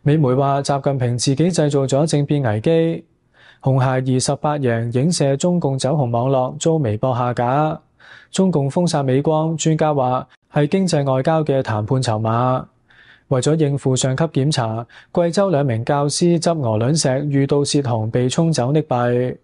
美媒話習近平自己製造咗政變危機。紅孩兒18贏影射中共走紅網絡遭微博下架。中共封殺美光，專家話係經濟外交嘅談判籌碼。為咗應付上級檢查，貴州2名教師執鵝卵石遇到洩洪被沖走溺斃。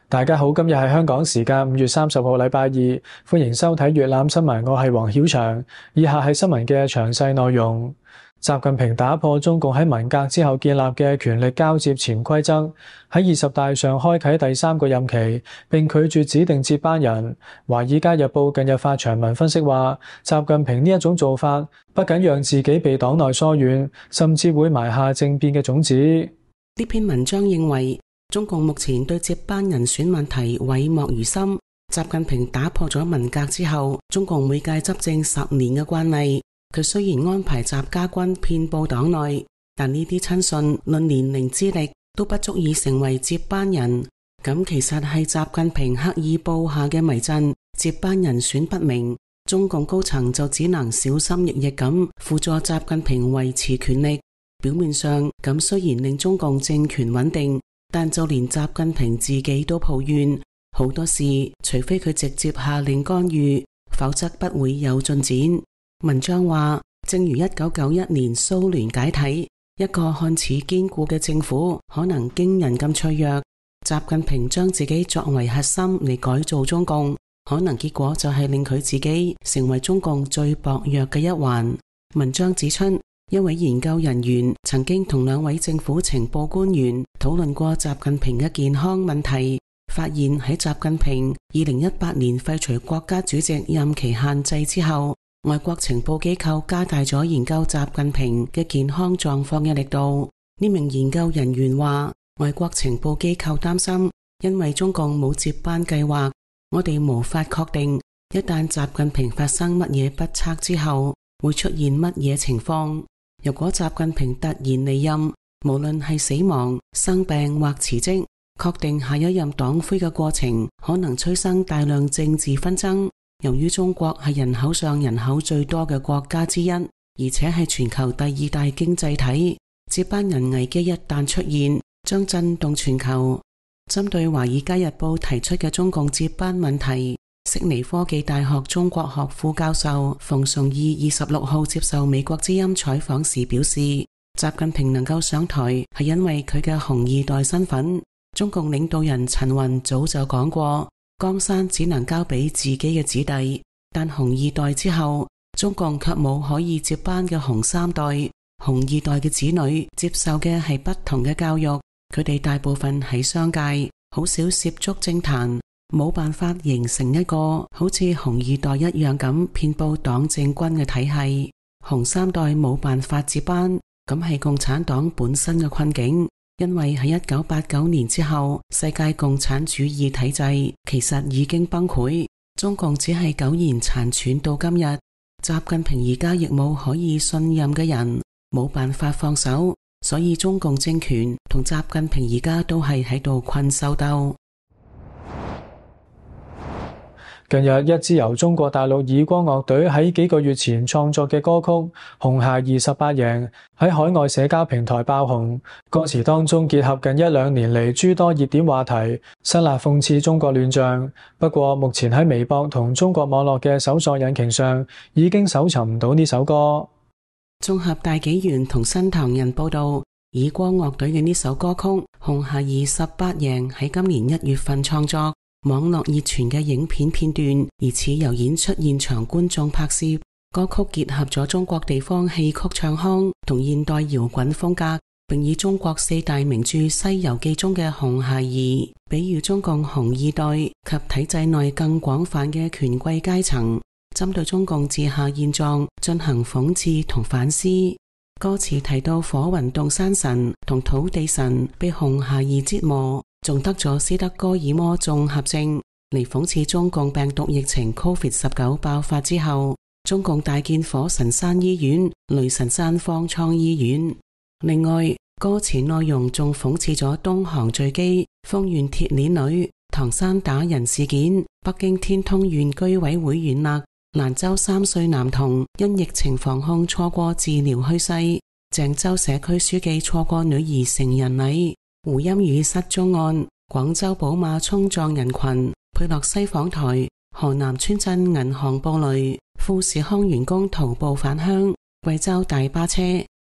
大家好，今日係香港時間5月30號禮拜二，歡迎收睇粵覽新聞，我係黃曉翔。以下係新聞嘅詳細內容。習近平打破中共喺文革之後建立嘅權力交接潛規則，喺20大上開啟第3個任期，並拒絕指定接班人。華爾街日報近日發長文分析話，習近平呢一種做法不僅讓自己被黨內疏遠，甚至會埋下政變嘅種子。呢篇文章認為，中共目前對接班人選問題諱莫如深。習近平打破咗文革之後中共每屆執政10年嘅慣例。佢雖然安排習家軍遍佈黨內，但呢啲親信論年齡資歷都不足以成為接班人。咁其實係習近平刻意布下嘅迷陣，接班人選不明，中共高層就只能小心翼翼咁輔助習近平維持權力。表面上咁雖然令中共政權穩定，但就連習近平自己都抱怨，好多事除非佢直接下令干預，否則不會有進展。文章話，正如1991年蘇聯解體，一個看似堅固嘅政府可能驚人咁脆弱。習近平將自己作為核心嚟改造中共，可能結果就係令佢自己成為中共最薄弱嘅一環。文章指出，一位研究人員曾經同2位政府情報官員討論過習近平嘅健康問題，發現喺習近平2018年廢除國家主席任期限制之後，外國情報機構加大咗研究習近平嘅健康狀況嘅力度。呢名研究人員話，外國情報機構擔心，因為中共冇接班計劃，我哋無法確定一旦習近平發生乜嘢不測之後，會出現乜嘢情況。如果習近平突然離任，無論係死亡、生病或辭職，確定下一任黨魁嘅過程可能催生大量政治紛爭。由於中國係人口上人口最多嘅國家之一，而且係全球第2大經濟體，接班人危機一旦出現，將震動全球。針對《華爾街日報》提出嘅中共接班問題，悉尼科技大學中國學副教授馮崇義26號接受美國之音採訪時表示，習近平能夠上台係因為佢嘅紅二代身份。中共領導人陳雲早就講過，江山只能交俾自己嘅子弟，但紅二代之後，中共卻冇可以接班嘅紅3代。紅二代嘅子女接受嘅係不同嘅教育，佢哋大部分喺商界，好少涉足政壇，冇辦法形成一個好似紅二代一樣咁遍佈黨政軍嘅體系。紅3代冇辦法接班，咁係共產黨本身嘅困境。因為喺1989年之後，世界共產主義體制其實已經崩潰，中共只係苟延殘喘到今日。習近平而家亦冇可以信任嘅人，冇辦法放手，所以中共政權同習近平而家都係喺度困獸鬥。近日，一支由中國大陸以光樂隊喺幾個月前創作嘅歌曲《紅孩兒18贏》喺海外社交平台爆紅，歌詞當中結合近1-2年嚟諸多熱點話題，辛辣諷刺中國亂象。不過，目前喺微博同中國網絡嘅搜索引擎上已經搜尋唔到呢首歌。綜合大紀元同新唐人報道，以光樂隊嘅呢首歌曲《紅孩兒18贏》喺今年1月份創作。網絡熱傳嘅影片片段疑似由演出現場觀眾拍攝，歌曲結合咗中國地方戲曲唱腔同現代搖滾風格，並以中國4大名著《西遊記》中嘅紅孩兒，比喻中共紅二代及體制內更廣泛嘅權貴階層，針對中共治下現狀進行諷刺同反思。歌詞提到火雲洞山神同土地神被紅孩兒折磨，仲得咗斯德哥爾摩綜合症，嚟諷刺中共病毒疫情 COVID-19 爆發之後，中共大建火神山醫院、雷神山方艙醫院。另外，歌詞內容仲諷刺咗東航墜機、豐縣鐵鏈女、唐山打人事件、北京天通縣居委會縣勒蘭州3歲男童因疫情防控錯過治療去世。鄭州社區書記錯過女兒成人禮。胡鑫宇失蹤案，廣州寶馬衝撞人群。佩洛西訪台，河南村鎮銀行暴雷，富士康員工徒步返鄉。貴州大巴車，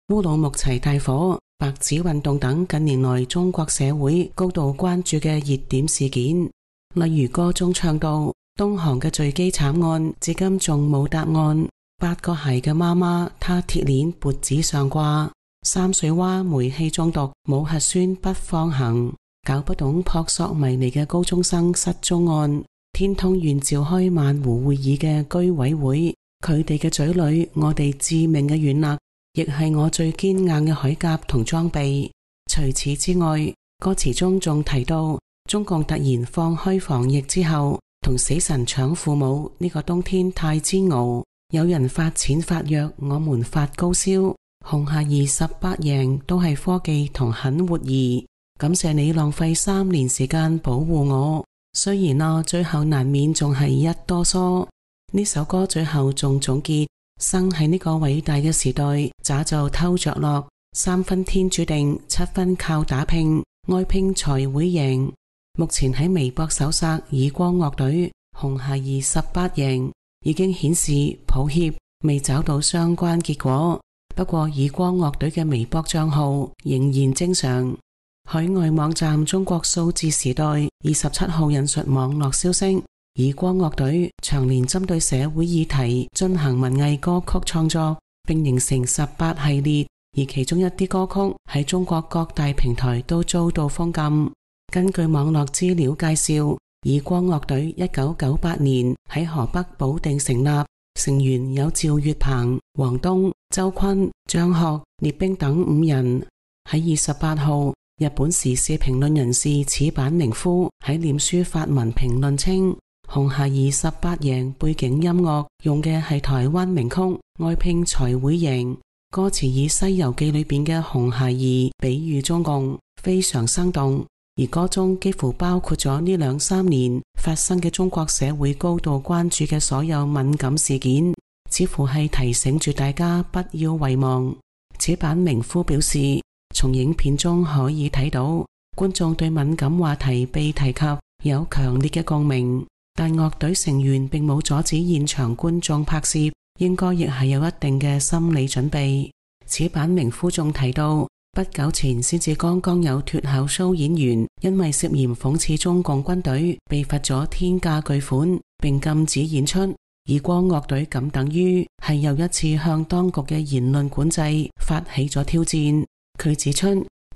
烏魯木齊大火，白紙運動等近年來中國社會高度關注嘅熱點事件。例如歌中唱到東航嘅墜機慘案，至今仲冇答案。8個孩嘅媽媽，她鐵鏈脖子上掛。三水灣煤氣中毒，冇核酸不放行。搞不懂撲朔迷離嘅高中生失蹤案。天通苑召開萬湖會議嘅居委會，佢哋嘅嘴裏，我哋致命嘅軟肋，亦係我最堅硬嘅鎧甲同裝備。除此之外，歌詞中仲提到中共突然放開防疫之後，同死神搶父母，呢個冬天太煎熬。有人發錢發藥，我們發高燒。紅孩兒18贏都係科技同狠活兒，感謝你浪費3年時間保護我。雖然最後難免仲係一哆嗦。呢首歌最後仲總結：生喺呢個偉大嘅時代，咋就偷着樂？3分天注定，7分靠打拼，愛拼才會贏。目前喺微博搜索耳光樂隊紅孩兒18贏，已經顯示抱歉未找到相關結果。不過耳光樂隊嘅微博賬號仍然正常。海外網站中國數字時代27號引述網絡消息，耳光樂隊長年針對社會議題進行文藝歌曲創作，並形成18系列，而其中一啲歌曲喺中國各大平台都遭到封禁。根據網絡資料介紹，耳光樂隊1998年喺河北保定成立，成員有趙月鵬、王東、周坤、張學、聶冰等5人。喺28號，日本時事評論人士矢板明夫喺臉書發文評論稱，紅孩兒18贏背景音樂用嘅係台灣名曲《愛拼才會贏》，歌詞以《西遊記》裏邊嘅紅孩兒比喻中共，非常生動。而歌中幾乎包括咗呢2-3年發生嘅中國社會高度關注嘅所有敏感事件，似乎係提醒住大家不要遺忘。矢板明夫表示，從影片中可以睇到觀眾對敏感話題被提及有強烈嘅共鳴，但樂隊成員並冇阻止現場觀眾拍攝，應該亦係有一定嘅心理準備。矢板明夫仲提到，不久前先至剛剛有脫口秀演員因為涉嫌諷刺中共軍隊被罰咗天價巨款，並禁止演出。耳光樂隊咁等於係又一次向當局嘅言論管制發起咗挑戰。佢指出，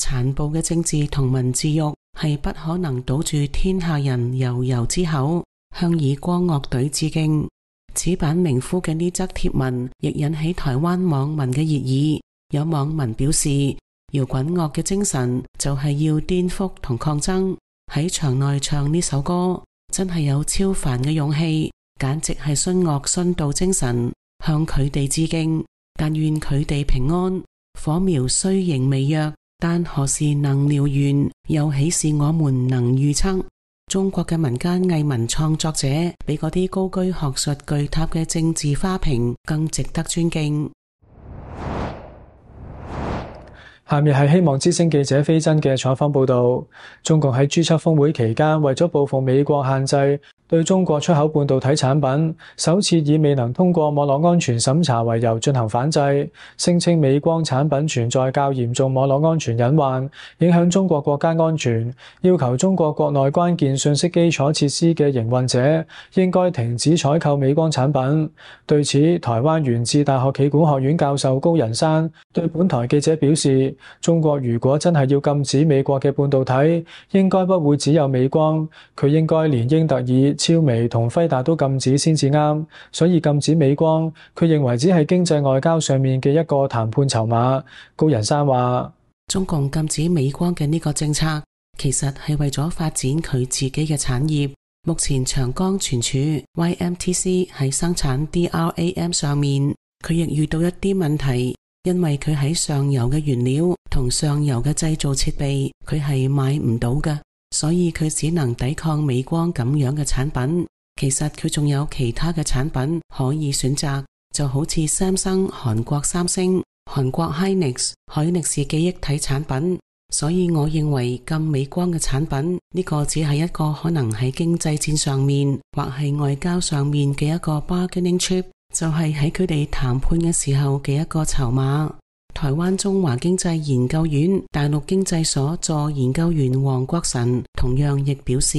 殘暴嘅政治同文字獄係不可能堵住天下人悠悠之口，向耳光樂隊致敬。矢板明夫嘅呢則貼文亦引起台灣網民嘅熱議，有網民表示，搖滾樂嘅精神就係要顛覆同抗爭，喺場內唱呢首歌真係有超凡嘅勇氣，簡直係殉樂殉道精神，向佢哋致敬，但願佢哋平安。火苗雖仍微弱，但何時能燎原，又豈是我們能預測？中國嘅民間藝文創作者比嗰啲高居學術巨塔嘅政治花瓶更值得尊敬。下面係希望之聲記者飛真嘅採訪報道。中共喺 G7 峰會期間，為咗報復美國限制對中國出口半導體產品，首次以未能通過網絡安全審查為由進行反制，聲稱美光產品存在較嚴重網絡安全隱患，影響中國國家安全，要求中國國內關鍵信息基礎設施嘅營運者應該停止採購美光產品。對此，台灣元智大學企管學院教授高人山對本台記者表示，中國如果真係要禁止美國嘅半導體，應該不會只有美光，佢應該連英特爾、超微同輝達都禁止先至啱，所以禁止美光，佢認為只係經濟外交上面嘅一個談判籌碼。高人山話，中共禁止美光嘅呢個政策，其實係為咗發展佢自己嘅產業。目前長江存儲 YMTC 喺生產 DRAM 上面，佢亦遇到一啲問題，因為佢喺上游嘅原料同上游嘅製造設備，佢係買唔到嘅，所以佢只能抵抗美光咁樣嘅產品。其實佢仲有其他嘅產品可以選擇，就好似三星、韓國三星、韓國 Hynix、海力士記憶體產品。所以我認為咁美光嘅產品，呢個只係一個可能喺經濟戰上面或係外交上面嘅一個 bargaining chip，就係喺佢哋談判嘅時候嘅一個籌碼。台灣中華經濟研究院大陸經濟所助研究員黃國臣同樣亦表示，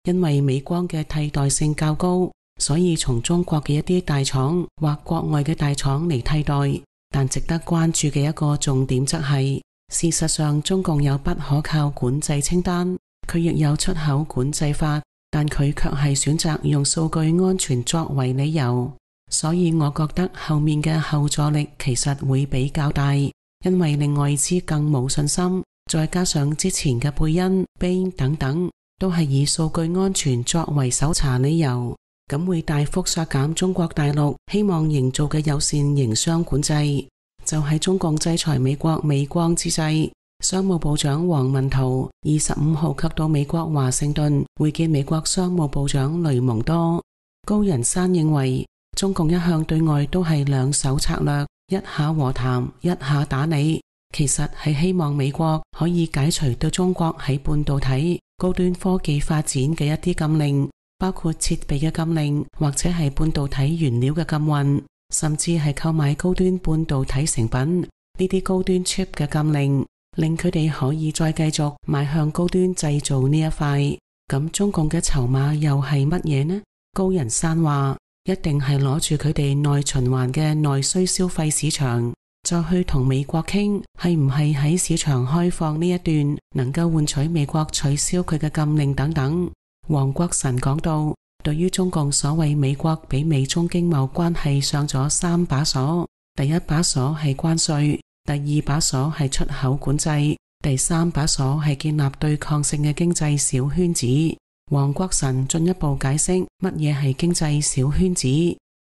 因為美光嘅替代性較高，所以從中國嘅一啲大廠或國外嘅大廠嚟替代。但值得關注嘅一個重點則係，事實上中共有不可靠管制清單，佢亦有出口管制法，但佢卻係選擇用數據安全作為理由。所以我覺得後面嘅後座力其實會比較大，因為令外資更冇信心，再加上之前嘅貝恩、Bain 等等都係以數據安全作為搜查理由，咁會大幅削減中國大陸希望營造嘅友善營商管制。就喺中共制裁美國美光之際，商務部長王文濤25號及到美國華盛頓會見美國商務部長雷蒙多。高人山認為，中共一向對外都係兩手策略，一下和談，一下打你，其實係希望美國可以解除對中國喺半導體、高端科技發展嘅一啲禁令，包括設備嘅禁令，或者係半導體原料嘅禁運，甚至係購買高端半導體成品，呢啲高端 chip 嘅禁令，令佢哋可以再繼續邁向高端製造呢一塊。咁中共嘅籌碼又係乜嘢呢？高人山話，一定係攞住佢哋內循環嘅內需消費市場，再去同美國傾係唔係喺市場開放呢一段能夠換取美國取消佢嘅禁令等等。黃國臣講到，對於中共所謂美國俾美中經貿關係上咗3把鎖，第一把鎖係關稅，第二把鎖係出口管制，第三把鎖係建立對抗性嘅經濟小圈子。黃國臣進一步解釋乜嘢係經濟小圈子，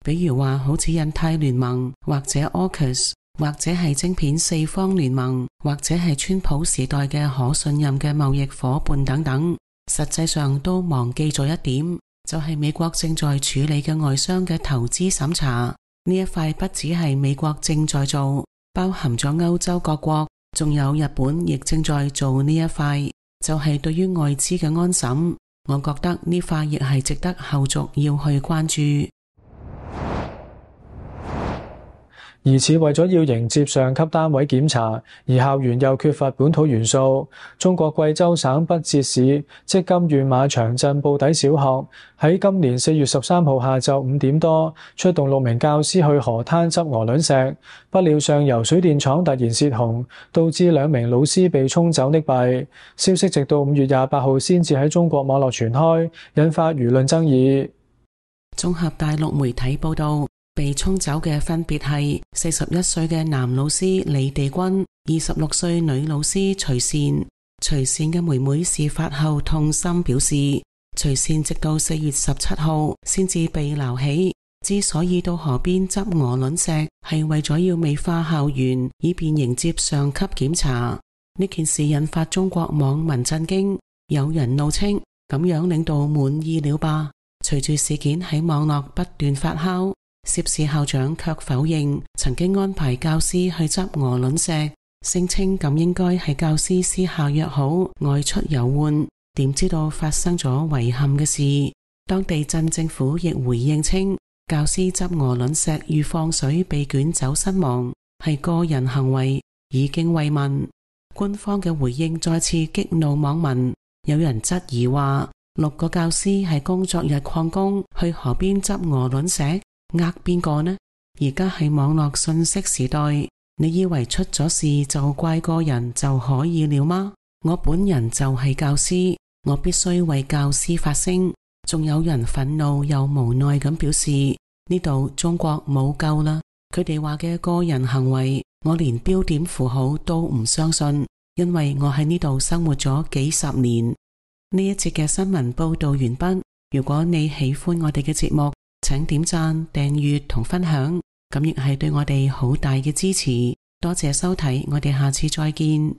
比如話好似印太聯盟或者 AUKUS， 或者係晶片4方聯盟，或者係川普時代嘅可信任嘅貿易夥伴等等，實際上都忘記咗一點，就係美國正在處理嘅外商嘅投資審查，呢一塊不只係美國正在做，包含咗歐洲各國，仲有日本亦正在做呢一塊，就係對於外資嘅安審。我覺得呢塊亦係值得後續要去關注。疑似為咗要迎接上級單位檢查，而校園又缺乏本土元素。中國貴州省筆節市積金縣馬場鎮布底小學喺今年4月13號下晝5點多，出動6名教師去河灘執鵝卵石，不料上游水電廠突然泄洪，導致2名老師被沖走溺斃。消息直到5月28號先至喺中國網絡傳開，引發輿論爭議。綜合大陸媒體報道，被沖走嘅分別係41歲嘅男老師李地軍、26歲女老師徐善。徐善嘅妹妹事發後痛心表示，徐善直到4月17號先至被撈起，之所以到河邊執鵝卵石，係為咗要美化校園，以便迎接上級檢查。呢件事引發中國網民震驚，有人怒稱咁樣領導滿意了吧。隨住事件喺網絡不斷發酵，涉事校長卻否認曾經安排教師去執鵝卵石，聲稱咁應該係教師私下約好外出遊玩，點知道發生咗遺憾嘅事。當地鎮政府亦回應稱，教師執鵝卵石遇放水被捲走身亡，係個人行為，已經慰問。官方嘅回應再次激怒網民，有人質疑話6個教師係工作日曠工去河邊執鵝卵石，呃邊個呢？而家係網絡信息時代，你以為出咗事就怪個人就可以了嗎？我本人就係教師，我必須為教師發聲。仲有人憤怒又無奈咁表示，呢度中國冇救啦。佢哋話嘅個人行為，我連標點符號都唔相信，因為我喺呢度生活咗幾十年。呢一節嘅新聞報道完畢。如果你喜歡我哋嘅節目，請點讚、訂閱同分享，咁亦係對我哋好大嘅支持。多謝收睇，我哋下次再見。